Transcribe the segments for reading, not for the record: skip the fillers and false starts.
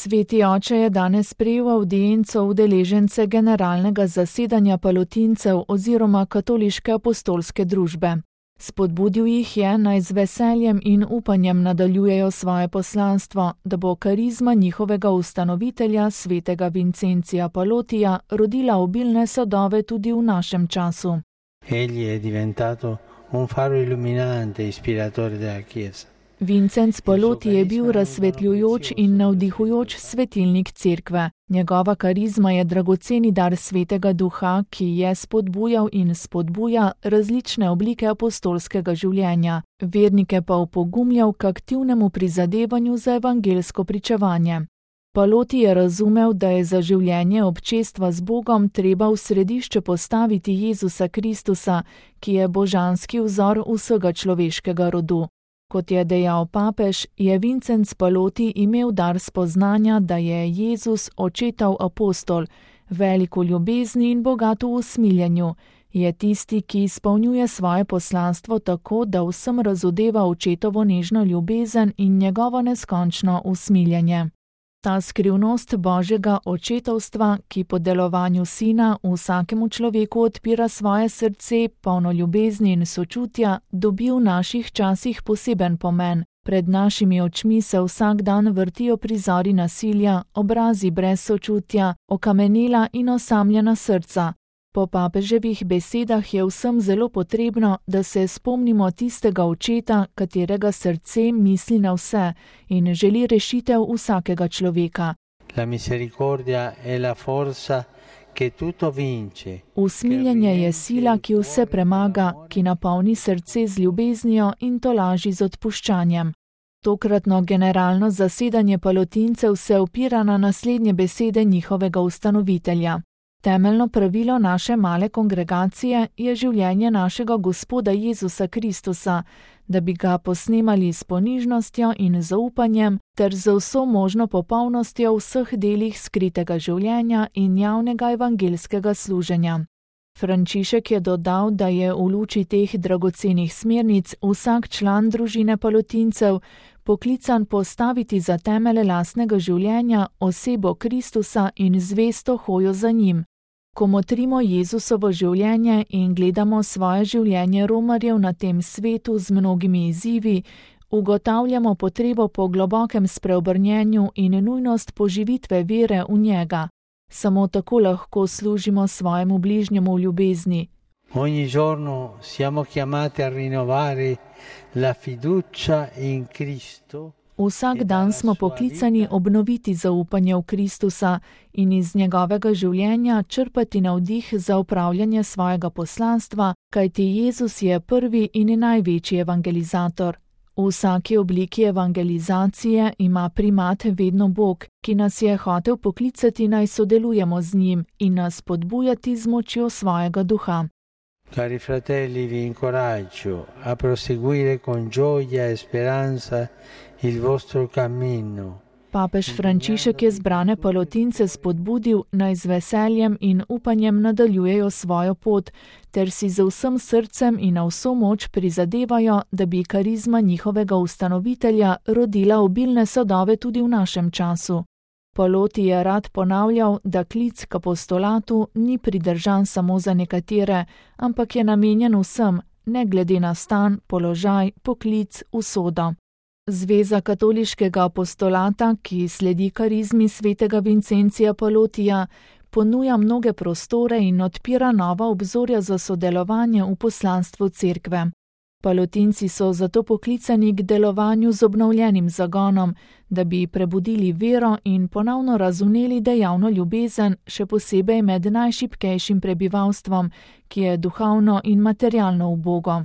Sveti oče je danes sprejel avdienco udeležence generalnega zasedanja palotincev oziroma katoliške apostolske družbe. Spodbudil jih je, naj z veseljem in upanjem nadaljujejo svoje poslanstvo, da bo karizma njihovega ustanovitelja, svetega Vincencija Palotija, rodila obilne sadove tudi v našem času. Egli è diventato un faro illuminante, ispiratore della Chiesa. Vincenc Paloti je bil razsvetljujoč in navdihujoč svetilnik cerkve. Njegova karizma je dragoceni dar Svetega Duha, ki je spodbujal in spodbuja različne oblike apostolskega življenja, vernike pa opogumljal k aktivnemu prizadevanju za evangelsko pričevanje. Paloti je razumel, da je za življenje občestva z Bogom treba v središče postaviti Jezusa Kristusa, ki je božanski vzor vsega človeškega rodu. Kot je dejal papež, je Vincenc Paloti imel dar spoznanja, da je Jezus očetov apostol, velik v ljubezni in bogat v usmiljenju. Je tisti, ki izpolnjuje svoje poslanstvo tako, da vsem razodeva očetovo nežno ljubezen in njegovo neskončno usmiljenje. Ta skrivnost Božjega očetovstva, ki po delovanju Sina vsakemu človeku odpira svoje srce, polno ljubezni in sočutja, dobi v naših časih poseben pomen. Pred našimi očmi se vsak dan vrtijo prizori nasilja, obrazi brez sočutja, okamenela in osamljena srca. Po papeževih besedah je vsem zelo potrebno, da se spomnimo tistega očeta, katerega srce misli na vse in želi rešitev vsakega človeka. La misericordia è la forza che tutto vince. Usmiljenje je sila, ki vse premaga, ki napolni srce z ljubeznijo in tolaži z odpuščanjem. Tokratno generalno zasedanje palotincev se opira na naslednje besede njihovega ustanovitelja. Temeljno pravilo naše male kongregacije je življenje našega Gospoda Jezusa Kristusa, da bi ga posnemali s ponižnostjo in zaupanjem ter z vso možno popolnostjo v vseh delih skritega življenja in javnega evangelskega služenja. Frančišek je dodal, da je v luči teh dragocenih smernic vsak član družine palotincev poklican postaviti za temelje lastnega življenja osebo Kristusa in zvesto hojo za njim. Ko motrimo Jezusovo življenje in gledamo svoje življenje romarjev na tem svetu z mnogimi izzivi, ugotavljamo potrebo po globokem spreobrnjenju in nujnost poživitve vere v njega. Samo tako lahko služimo svojemu bližnjemu v ljubezni. Ogni giorno siamo chiamati a rinnovare la fiducia in Cristo. Vsak dan smo poklicani obnoviti zaupanje v Kristusa in iz njegovega življenja črpati navdih za upravljanje svojega poslanstva, kajti Jezus je prvi in največji evangelizator. V vsaki obliki evangelizacije ima primat vedno Bog, ki nas je hotel poklicati naj sodelujemo z njim in nas spodbujati z močjo svojega duha. Cari fratelli, vi incoraggio a proseguire con gioia e speranza il vostro cammino. Papež Frančišek je zbrane palotince spodbudil, naj z veseljem in upanjem nadaljujejo svojo pot, ter si z vsem srcem in na vso moč prizadevajo, da bi karizma njihovega ustanovitelja rodila obilne sadove tudi v našem času. Paloti je rad ponavljal, da klic k apostolatu ni pridržan samo za nekatere, ampak je namenjen vsem, ne glede na stan, položaj, poklic, usodo. Zveza katoliškega apostolata, ki sledi karizmi svetega Vincencija Palotija, ponuja mnoge prostore in odpira nova obzorja za sodelovanje v poslanstvu cerkve. Palotinci so zato poklicani k delovanju z obnovljenim zagonom, da bi prebudili vero in ponovno razumeli dejavno ljubezen, še posebej med najšibkejšim prebivalstvom, ki je duhovno in materialno ubogo.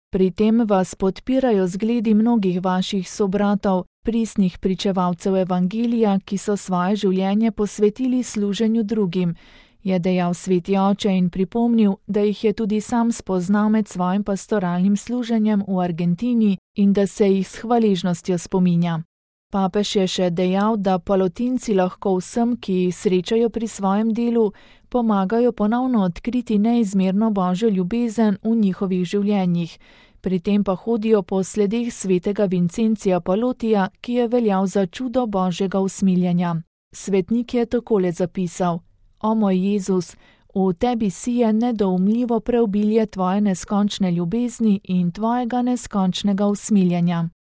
Pri tem vas podpirajo zgledi mnogih vaših sobratov, pristnih pričevalcev evangelija, ki so svoje življenje posvetili služenju drugim, je dejal sveti oče in pripomnil, da jih je tudi sam spoznal med svojim pastoralnim služenjem v Argentini in da se jih s hvaležnostjo spominja. Papež je še dejal, da palotinci lahko vsem, ki jih srečajo pri svojem delu, pomagajo ponovno odkriti neizmerno Božjo ljubezen v njihovih življenjih, Pri tem pa hodijo po sledeh svetega Vincencija Palotija, ki je veljal za čudo Božjega usmiljenja. Svetnik je takole zapisal: O moj Jezus, v tebi sije nedoumljivo preobilje tvoje neskončne ljubezni in tvojega neskončnega usmiljenja.